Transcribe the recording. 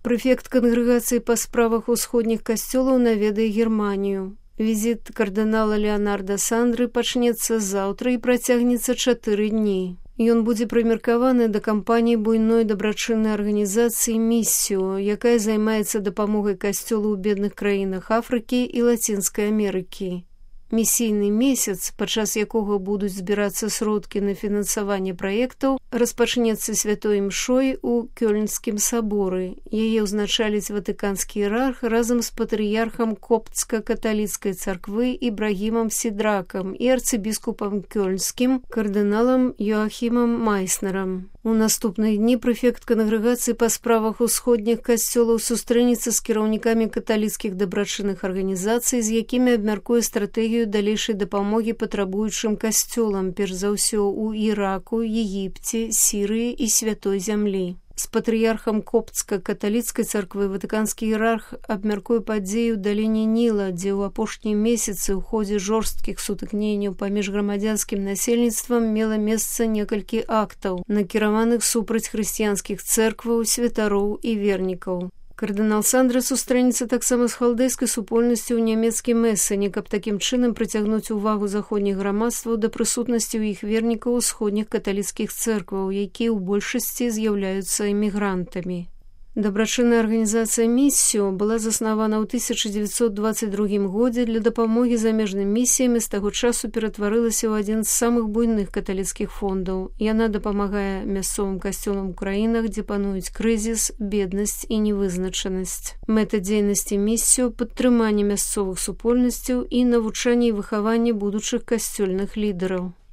Прэфект кангрэгацыі па справах усходніх касцёлаў наведае Германію. Візіт кардынала Леонарда Сандры пачнецца заўтра і працягнецца 4 дні. Ён будзе прымеркаваны да кампаніі буйной дабрачыннай арганізацыі «Місіо», якая займаецца дапамогай касцёлу ў бедных краінах Афрыкі і Лацінскай Амерыкі. Місійны месяц, падчас якога будуць збірацца сродкі на фінансаванне праектаў, распачнецца святой імшой у Кёльнскім саборы. Яе ўзначаліць ватыканскі іерарх разам з патрыярхам коптска-каталіцкай царквы Ібрагімам Сідракам і арцыбіскупам Кёльнскім кардыналам Йоахімам Майснерам. У наступныя дні прэфект кангрэгацыі па справах усходніх касцёлаў сустрэнецца з кіраўнікамі каталіцкіх дабрачынных арганізацый, з якімі абмяркуе стратэгію далейшай дапамогі патрабуючым касцёлам, перш за ўсё ў Іраку, Егіпце, Сірыі і Святой зямлі. З патрыярхам коптска-каталіцкай царквы ватыканскі іерарх абмяркуе падзеі ў даліне Ніла, дзе ў апошнія месяцы ў ходзе жорсткіх сутыкненняў паміж грамадзянскім насельніцтвам мела месца некалькі актаў, накіраваных супраць хрысціянскіх цэркваў, святароў і вернікаў. Кардынал Сандра сустрэнецца таксама з халдэйскай супольнасцю ў нямецкім Эссене, каб такім чынам прыцягнуць увагу заходніх грамадстваў да прысутнасці ў іх вернікаў усходніх каталіцкіх цэркваў, якія ў большасці з'яўляюцца эмігрантамі. Дабрачынная арганізацыя «Місіо» была заснавана ў 1922 годзе для дапамогі замежным місіям і з таго часу ператварылася ў адзін з самых буйных каталіцкіх фондаў. Яна дапамагае мясцовым касцёлам у краінах, дзе пануюць крызіс, беднасць і невызначанасць. Мэта дзейнасці «Місіо» – падтрыманне мясцовых супольнасцяў і навучанне і выхаванне будучых касцёльных лідараў.